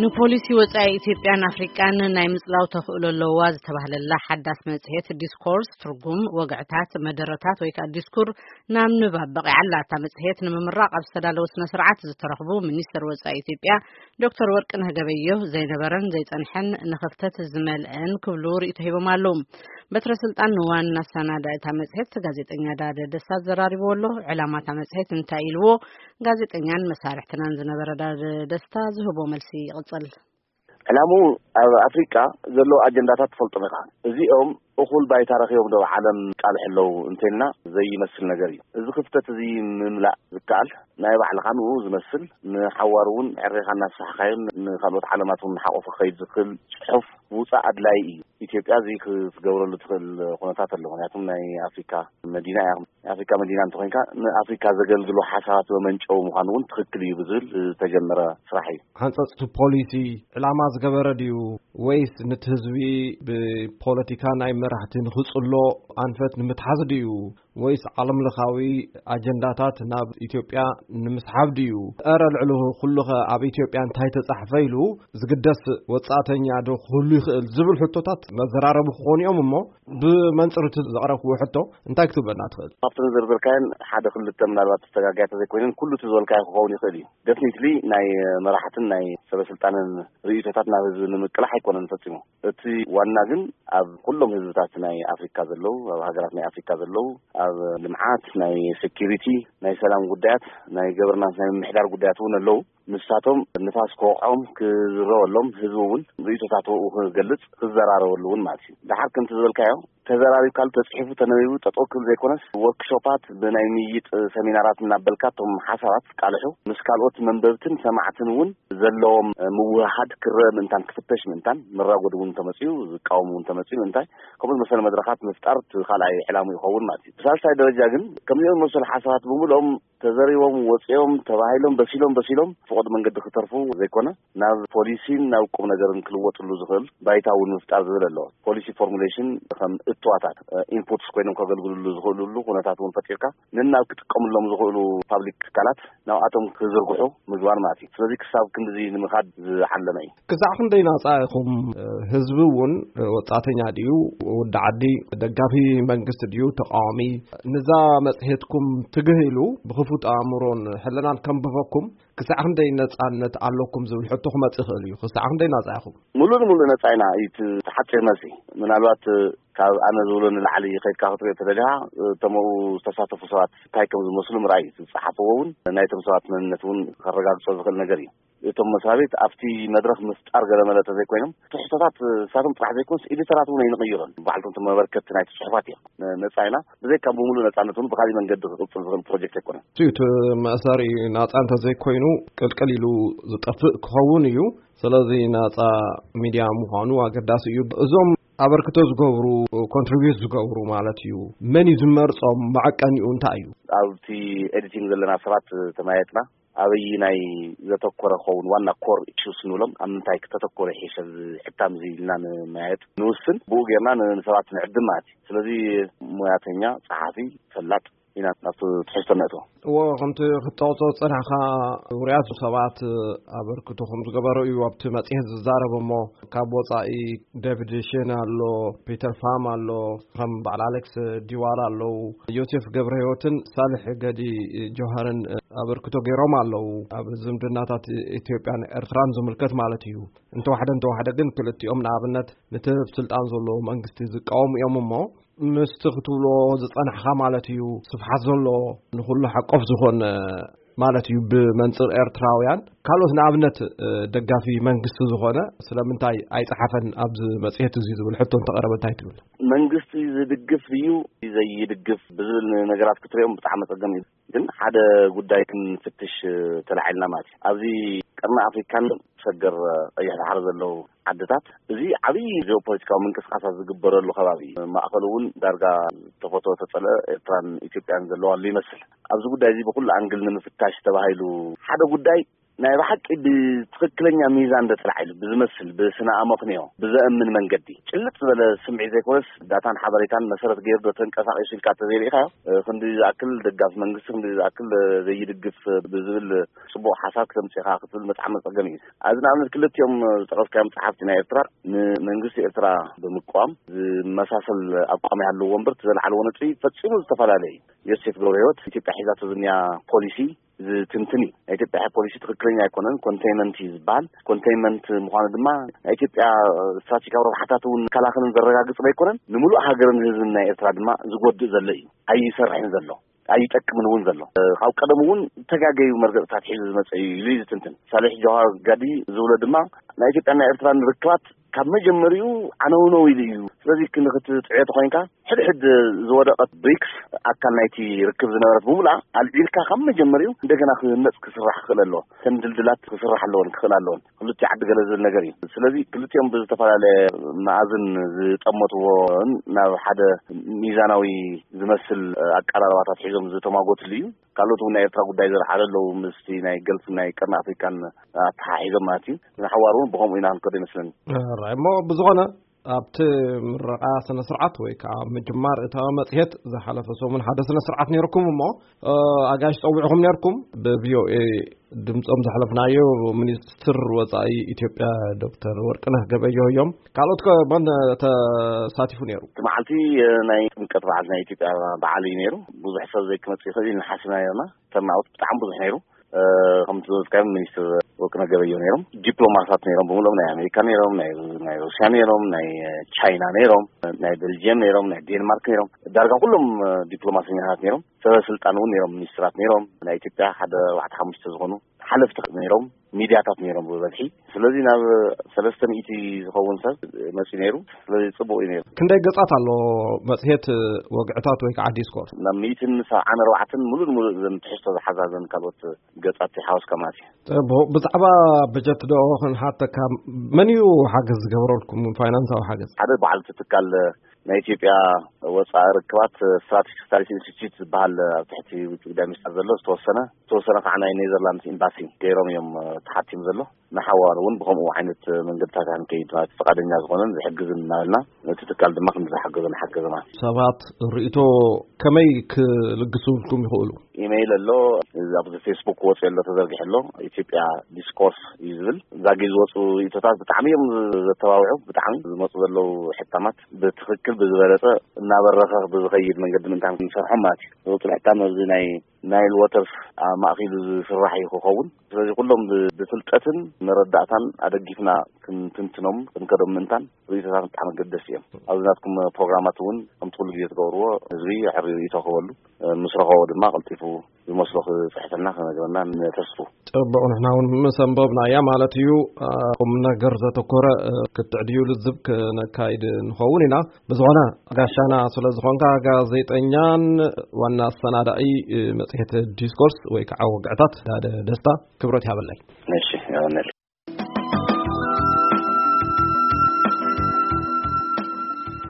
ንፖሊሲ ወጻኢ ኢትዮጵያን ኣፍሪቃን ናይ ምጽላው ተኽእሎ ኣለዋ ዝተባህለላ ሓዳስ መጽሔት ዲስኮርስ፣ ትርጉም ወግዕታት፣ መደረታት ወይ ከኣ ዲስኩር ናብ ንባብ በቒዓ ኣላ። እታ መጽሔት ንምምራቕ ኣብ ዝተዳለወ ስነ ስርዓት ዝተረኽቡ ሚኒስትር ወጻኢ ኢትዮጵያ ዶክተር ወርቅነህ ገበየሁ፣ ዘይነበረን ዘይጸንሐን ንኽፍተት ዝመልአን ክብሉ ርእይቶ ሂቦም ኣለዉ። በትረ ስልጣን ንዋና ኣሰናዳኢ እታ መጽሔት ጋዜጠኛ ዳደ ደስታ ዘራሪብዎ ኣሎ። ዕላማ እታ መጽሔት እንታይ ኢልዎ? ጋዜጠኛን መሳርሕትናን ዝነበረ ዳደ ደስታ ዝህቦ መልሲ ይቕጽል። ዕላምኡ ኣብ ኣፍሪቃ ዘለዉ ኣጀንዳታት ትፈልጦም ኢኻ። እዚኦም እኹል ባይታ ረኺቦም ዶ ኣብ ዓለም ቃልሑ ኣለዉ እንተልና ዘይመስል ነገር እዩ። እዚ ክፍተት እዚ ምምላእ ዝከኣል ናይ ባዕልኻ ንኡ ዝመስል ንሓዋሩ እውን ዕሬኻ እናስፋሕካዮን ንኻልኦት ዓለማት እውን ሓቆፉ ክኸይድ ዝኽእል ጽሑፍ ምውጻእ ኣድላዪ እዩ። ኢትዮጵያ እዚ ክትገብረሉ ትኽእል ኩነታት ኣሎ። ምክንያቱም ናይ ኣፍሪካ መዲና እያ። ናይ ኣፍሪካ መዲና እንተኮይንካ ንኣፍሪካ ዘገልግሉ ሓሳባት መመንጨዊ ምዃኑ እውን ትኽክል እዩ ብዝብል ዝተጀመረ ስራሕ እዩ። ሓንፀፅቲ ፖሊሲ ዕላማ ዝገበረ ድዩ ወይስ ንቲ ህዝቢ ብፖለቲካ ናይ መራሕቲ ንክፅሎ ኣንፈት ንምትሓዝ ድዩ ወይስ ዓለም ለኻዊ ኣጀንዳታት ናብ ኢትዮጵያ ንምስሓብ ድዩ? እረ ልዕሊ ኩሉኸ ኣብ ኢትዮጵያ እንታይ ተጻሕፈ ኢሉ ዝግደስ ወጻእተኛ ዶ ክህሉ ይኽእል ዝብል ሕቶታት መዘራረቢ ክኾኑ እዮም። እሞ ብመንጽር እቲ ዘቕረብክዎ ሕቶ እንታይ ክትብለና ትኽእል? ካብቲ ዝርዝርካየን ሓደ ክልተ ምናልባት ተጋግያ ተዘይኮይነን ኩሉ እቲ ዝበልካዮ ክኸውን ይኽእል እዩ። ደፍኒትሊ ናይ መራሕትን ናይ ሰበስልጣንን ርእይቶታት ናብ ህዝቢ ንምቅላሕ ኣይኮነን ፈጺሙ። እቲ ዋና ግን ኣብ ኩሎም ህዝብታት ናይ ኣፍሪካ ዘለዉ፣ ኣብ ሃገራት ናይ ኣፍሪካ ዘለዉ፣ ኣብ ልምዓት፣ ናይ ሴኪሪቲ፣ ናይ ሰላም ጉዳያት፣ ናይ ገቨርናንስ፣ ናይ ምምሕዳር ጉዳያት እውን ኣለዉ። ንሳቶም ንፋስ ክወቕዖም ክዝረበሎም፣ ህዝቢ እውን ርእይቶታቱ ክገልጽ ክዘራረበሉ እውን ማለት እዩ። ደሓር ከምቲ ዝበልካዮ ተዘራሪብካሉ፣ ተጽሒፉ፣ ተነቢቡ ጠጠው ክብል ዘይኮነስ፣ ወርክሾፓት ብናይ ምይይጥ ሰሚናራት እናበልካ እቶም ሓሳባት ቃልሑ ምስ ካልኦት መንበብትን ሰማዕትን እውን ዘለዎም ምውህሃድ ክረአ ምእንታን ክፍተሽ ምእንታን መራጎዲ እውን እንተመፅኡ ዝቃወሙ እውን እንተመፅኡ ምእንታይ ከምኡ ዝመሰለ መድረኻት ምፍጣር እቲ ካልኣይ ዕላሙ ይኸውን ማለት እዩ። ብሳልሳይ ደረጃ ግን ከምዚኦም ዝመሰሉ ሓሳባት ብምልኦም ተዘሪቦም ወፂኦም ተባሂሎም በሲሎም በሲሎም ፍቑድ መንገዲ ክተርፉ ዘይኮነ ናብ ፖሊሲን ናብ ቁም ነገርን ክልወጥሉ ዝኽእል ባይታ እውን ምፍጣር ዝብል ኣለዎ። ፖሊሲ ፎርሙሌሽን ከም እትዋታት ኢንፑትስ ኮይኖም ከገልግልሉ ዝኽእልሉ ኩነታት እውን ፈጢርካ ንናብ ክጥቀምሎም ዝኽእሉ ፓብሊክ ትካላት ናብኣቶም ክዝርግሑ ምግባር ማለት እዩ። ስለዚ ክሳብ ክንድዚ ንምኻድ ዝዓለመ እዩ። ክሳዕ ክንደይ ናጻ ኢኹም? ህዝቢ እውን ወጻእተኛ ድዩ፣ ወዲ ዓዲ፣ ደጋፊ መንግስቲ ድዩ፣ ተቃዋሚ፣ ንዛ መጽሔትኩም ትግህ ኢሉ ብክፉት ኣእምሮን ሕልናን ከንብበኩም ክሳዕ ክንደይ ነጻነት ኣለኩም ዝብል ሕቶ ክመጽእ ይኽእል እዩ። ክሳዕ ክንደይ ናጻ ኢኹም? ሙሉእ ንሙሉእ ነጻ ኢና እዩ እቲ ሓፂር መልሲ። ምናልባት ካብ ኣነ ዝብሎ ንላዕሊ ከይድካ ክትሪኦ ተደሊኻ እቶም ኣብኡ ዝተሳተፉ ሰባት እንታይ ከም ዝመስሉ ምርኣይ እዩ። ዝፀሓፍዎ እውን ናይቶም ሰባት መንነት እውን ከረጋግፆ ዝኽእል ነገር እዩ። እቶም መስሪያ ቤት ኣብቲ መድረኽ ምፍጣር ገለ መለ ተዘይኮይኖም ትሕቶታት ንሳቶም ጥራሕ ዘይኮንስ ኤዲተራት እውን ኣይንቕይሮን። ባዕልቶም እቲ መበርከቲ ናይቲ ፅሑፋት እዮም። ነፃ ኢና። ብዘይካ ብምሉእ ነፃነት እውን ብካሊእ መንገዲ ክቕፅል ዝኽእል ፕሮጀክት ኣይኮነን። እቲ መእሰሪ ናፃ እንተዘይኮይኑ ቅልቅል ኢሉ ዝጠፍእ ክኸውን እዩ። ስለዚ ናፃ ሚድያ ምዃኑ ኣገዳሲ እዩ። እዞም ኣበርክቶ ዝገብሩ ኮንትሪቢዩት ዝገብሩ ማለት እዩ መን እዩ ዝመርፆም? መዐቀኒኡ እንታይ እዩ? ኣብቲ ኤዲቲንግ ዘለና ሰባት ተመያየጥና ኣበይ ናይ ዘተኮረ ክኸውን ዋና ኮር ኢሹስ ንብሎም ኣብ ምንታይ ክተተኮረ ይሕሸ እዚ ሕታም እዚ ኢልና ንመያየጥ ንውስን ብኡ ጌርና ንሰባት ንዕድም ማለት እዩ። ስለዚ ሞያተኛ ፀሓፊ ፈላጥ ኢና ናብቲ ትሕዝቶ ነእትዎ። እዎ ከምቲ ክትጠቕሶ ዝፀናሕካ ውሩያት ሰባት ኣበርክቶ ከም ዝገበሩ እዩ ኣብቲ መፅሄት ዝዛረብ እሞ ካብ ወፃኢ ዴቪድ ሼን ኣሎ፣ ፒተር ፋም ኣሎ፣ ከም በዓል ኣሌክስ ዲዋላ ኣለዉ፣ ዮሴፍ ገብረ ህይወትን ሳልሕ ገዲ ጆሃርን ኣበርክቶ ገይሮም ኣለዉ። ኣብ ዝምድናታት ኢትዮጵያን ኤርትራን ዝምልከት ማለት እዩ። እንተዋሕደ እንተዋሕደ ግን ክልቲኦም ንኣብነት ነቲ ኣብ ስልጣን ዘሎ መንግስቲ ዝቃወሙ እዮም እሞ ምስቲ ክትብሎ ዝጸናሕካ ማለት እዩ ስፍሓት ዘሎ ንኹሉ ሓቆፍ ዝኾነ ማለት እዩ ብመንጽር ኤርትራውያን ካልኦት ንኣብነት ደጋፊ መንግስቲ ዝኾነ ስለምንታይ ኣይጸሓፈን ኣብዚ መጽሔት እዚ ዝብል ሕቶ እንተቐረበ እንታይ ትብል? መንግስቲ ዝድግፍ እዩ ዘይድግፍ ብዝብል ነገራት ክትሪኦም ብጣዕሚ ጸገም እዩ። ግን ሓደ ጉዳይ ክንፍትሽ ተላዒልና ማለት እዩ። ኣብዚ ቀርኒ ኣፍሪካን ሰገር ቀይሕ ባሕሪ ዘለዉ ዓድታት እዚ ዓብዪ ጂኦፖለቲካዊ ምንቅስቃሳት ዝግበረሉ ከባቢ እዩ። ማእኸሉ እውን ዳርጋ ተፈቶ ተፀልአ ኤርትራን ኢትዮጵያን ዘለዋሉ ይመስል። ኣብዚ ጉዳይ እዚ ብኩሉ ኣንግል ንምፍታሽ ተባሂሉ ሓደ ጉዳይ ናይ ብሓቂ ብትኽክለኛ ሚዛን ዶ ጥራሕ ኢሉ ብዝመስል፣ ብስነ ኣመክንዮ ብዘእምን መንገዲ፣ ጭልጥ ዝበለ ስምዒት ዘይኮነስ፣ ዳታን ሓበሬታን መሰረት ገይሩ ዶ ተንቀሳቒሱ ኢልካ ተዘይርኢኻዮ፣ እ፣ ክንዲ ዝኣክል ደጋፊ መንግስቲ፣ ክንዲ ዝኣክል፣ እ፣ ዘይድግፍ ብዝብል ጽቡቕ ሓሳብ ክተምጽእ ኢኻ ክትብል መጽዓሚ ጸገም እዩ። ኣብዚ ንኣብነት ክልቲኦም ዝጠቐስካዮም ጸሓፍቲ ናይ ኤርትራ፣ ንመንግስቲ ኤርትራ ብምቅዋም ዝመሳሰል ኣቋም ይሃልዎ እምበር፣ እቲ ዘልዓልዎ ነጥቢ ፈጺሙ ዝተፈላለየ እዩ። ዮሴፍ ገብረህይወት ኢትዮጵያ ሒዛቶ ዝንያ ፖሊሲ ዝትንትን እዩ። ናይ ኢትዮጵያ ፖሊሲ ትኽክለኛ ኣይኮነን፣ ኮንቴይንመንት እዩ ዝበሃል። ኮንቴይንመንት ምዃኑ ድማ ናይ ኢትዮጵያ ስትራቴጂካዊ ረብሓታት እውን ዝከላኸልን ዘረጋግጽ ኣይኮነን፣ ንምሉእ ሃገርን ህዝብን ናይ ኤርትራ ድማ ዝጎድእ ዘሎ እዩ። ኣይሰርሕን ዘሎ፣ ኣይጠቅምን እውን ዘሎ። ካብ ቀደም እውን ተጋገዩ መርገጽታት ሒዙ ዝመጸ እዩ ኢሉ እዩ ዝትንትን። ሳሌሕ ጀዋር ጋዲ ዝብሎ ድማ ናይ ኢትዮጵያን ናይ ኤርትራን ርክባት ካብ መጀመሪኡ ዓነውነው ኢሉ እዩ። ስለዚ ክንክትጥዕዮ ተኾይንካ፣ ሕድሕድ ዝወደቐት ብሪክስ ኣካል ናይቲ ርክብ ዝነበረት ብምሉኣ ኣልዒልካ ካብ መጀመሪኡ እንደገና ክህነጽ ክስራሕ ክኽእል ኣለዎ። ተን ድልድላት ክስራሕ ኣለዎን ክኽእል ኣለዎን። ክልቲኡ ዓዲ ገለ ዝብል ነገር እዩ። ስለዚ ክልቲኦም ብዝተፈላለየ መኣዝን ዝጠመትዎን ናብ ሓደ ሚዛናዊ ዝመስል ኣቀራርባታት ሒዞም ዝተማጎትሉ እዩ። ካልኦት እውን ናይ ኤርትራ ጉዳይ ዘልዓሉ ኣለዉ፣ ምስቲ ናይ ገልፍ ናይ ቀርኒ ኣፍሪካን ኣተሓሒዞም ማለት እዩ። ንሓዋሩ እውን ብኸምኡ ኢና ክንከዶ ይመስለኒ። ራይ እሞ ብዝኾነ ኣብቲ ምረቓ ስነ ስርዓት ወይ ከዓ ምጅማር እታ መጽሔት ዝሓለፈ ሰሙን ሓደ ስነ ስርዓት ነይርኩም እሞ፣ እ፣ ኣጋይሽ ጸዊዕኹም ነይርኩም። ብቪኦኤ ድምጾም ዘሕለፍናዮ ሚኒስትር ወጻኢ ኢትዮጵያ ዶክተር ወርቅነህ ገበየሁ እዮም። ካልኦት ከ መን ተሳቲፉ ነይሩ? እቲ መዓልቲ፣ እ፣ ናይ ጥምቀት በዓል ናይ ኢትዮጵያ በዓል እዩ ነይሩ። ብዙሕ ሰብ ዘይክመጽእ ይኽእል ኢልና ሓሲብና ነይርና። ተርናውት ብጣዕሚ ብዙሕ ነይሩ። እ፣ ከምቲ ዝበልካዮም ሚኒስትር ወርቅነህ ገበየሁ ነይሮም። ዲፕሎማሳት ነይሮም፣ ብምሎም ናይ ኣሜሪካ ነይሮም፣ ናይ፣ ናይ ሩስያ ነይሮም፣ ናይ ቻይና ነይሮም፣ ናይ ቤልጅየም ነይሮም፣ ናይ ዴንማርክ ነይሮም። ዳርጋ ኩሎም፣ እ፣ ዲፕሎማሰኛታት ነይሮም። ሰበ ስልጣን እውን ነይሮም፣ ሚኒስትራት ነይሮም። ናይ ኢትዮጵያ ሓደ ኣርባዕተ ሓሙሽተ ዝኾኑ ሓለፍቲ ነይሮም፣ ሚድያታት ነይሮም ብበዝሒ። ስለዚ ናብ ሰለስተ ሚእቲ ዝኸውን ሰብ መፂኡ ነይሩ። ስለዚ ፅቡቅ እዩ ነይሩ። ክንደይ ገጻት ኣሎ መጽሔት ወግዕታት ወይ ከዓ ዲስኮርስ? ናብ ሚእትን ሰብዓን ኣርባዕተን ሙሉእ ንሙሉእ ዘን ትሕዝቶ ዝሓዛ ዘን ካልኦት ገጻት ሓወስካ ማለት እዩ። ጽቡቅ። ብዛዕባ በጀት ዶ ክንሓተካ፣ መን እዩ ሓገዝ ዝገበረልኩም፣ ፋይናንሳዊ ሓገዝ? ሓደ በዓል እቲ ትካል ናይ ኢትዮጵያ ወፃኢ ርክባት ስትራቴጂክ ስታዲስ ኢንስቲትዩት ዝበሃል ኣብ ትሕቲ ውጭ ጉዳይ ሚኒስቴር ዘሎ ዝተወሰነ፣ ዝተወሰነ ከዓ ናይ ኔዘርላንድስ ኤምባሲ ገይሮም እዮም፣ እ፣ ተሓቲሙ ዘሎ። ንሓዋሩ እውን ብኸምኡ ዓይነት መንገድታት ክንከይድ ማለት ፍቃደኛ ዝኾነን ዝሕግዝን እናበልና ነቲ ትካል ድማ ክንዲ ዝሓገዞ ንሓገዘ ማለት እዩ። ሰባት ርእይቶ ከመይ ክልግሱልኩም ይኽእሉ? ኢሜይል ኣሎ፣ ኣብዚ ፌስቡክ ወፂኡ ኣሎ፣ ተዘርጊሑ ኣሎ፣ ኢትዮጵያ ዲስኮርስ እዩ ዝብል። እዛ ግዜ ዝወፁ ርእይቶታት ብጣዕሚ እዮም ዘተባብዑ፣ ብጣዕሚ ዝመፁ ዘለዉ ሕታማት ብትኽክል ብዝበለፀ እናበረኸ ብዝኸይድ መንገዲ ምእንታን ክንሰርሖም ማለት እዩ። ዝወፁ ሕታም ኣብዚ ናይ ናይል ዋተርስ ኣብ ማእከሉ ዝስራሕ እዩ ክኸውን። ስለዚ ኩሎም ብ-፣ ብፍልጠትን መረዳእታን ኣደጊፍና ክንትንትኖም ክንከዶም ምእንታን ርእይቶታት ብጣዕሚ ኣገደስቲ እዮም። ኣብዚ ናትኩም ፕሮግራማት እውን ከምቲ ኩሉ ግዜ ትገብርዎ ህዝቢ ሕሪ ርእይቶ ክህበሉ፣ እ፣ ምስ ረኸቦ ድማ ቀልጢፉ ዝመስሎ ክፅሕፈልና ክነግረና ንተስፉ። ጽቡቕ፣ ንሕና እውን ምስ ኣንበብናያ ማለት እዩ። እ፣ ቁም ነገር ዘተኮረ፣ እ፣ ክትዕ ድዩ ልዝብ ክነካይድ ንኸውን ኢና። ብዝኾነ ጋሻና ስለ ዝኾንካ ጋዜጠኛን ዋና ኣሰናዳኢ፣ እ፣ መጽሔት ዲስኮርስ ወይ ከዓ ወግዕታት ዳደ ደስታ ክብረት ይሃበለይ። እሺ፣ ይሃበለይ።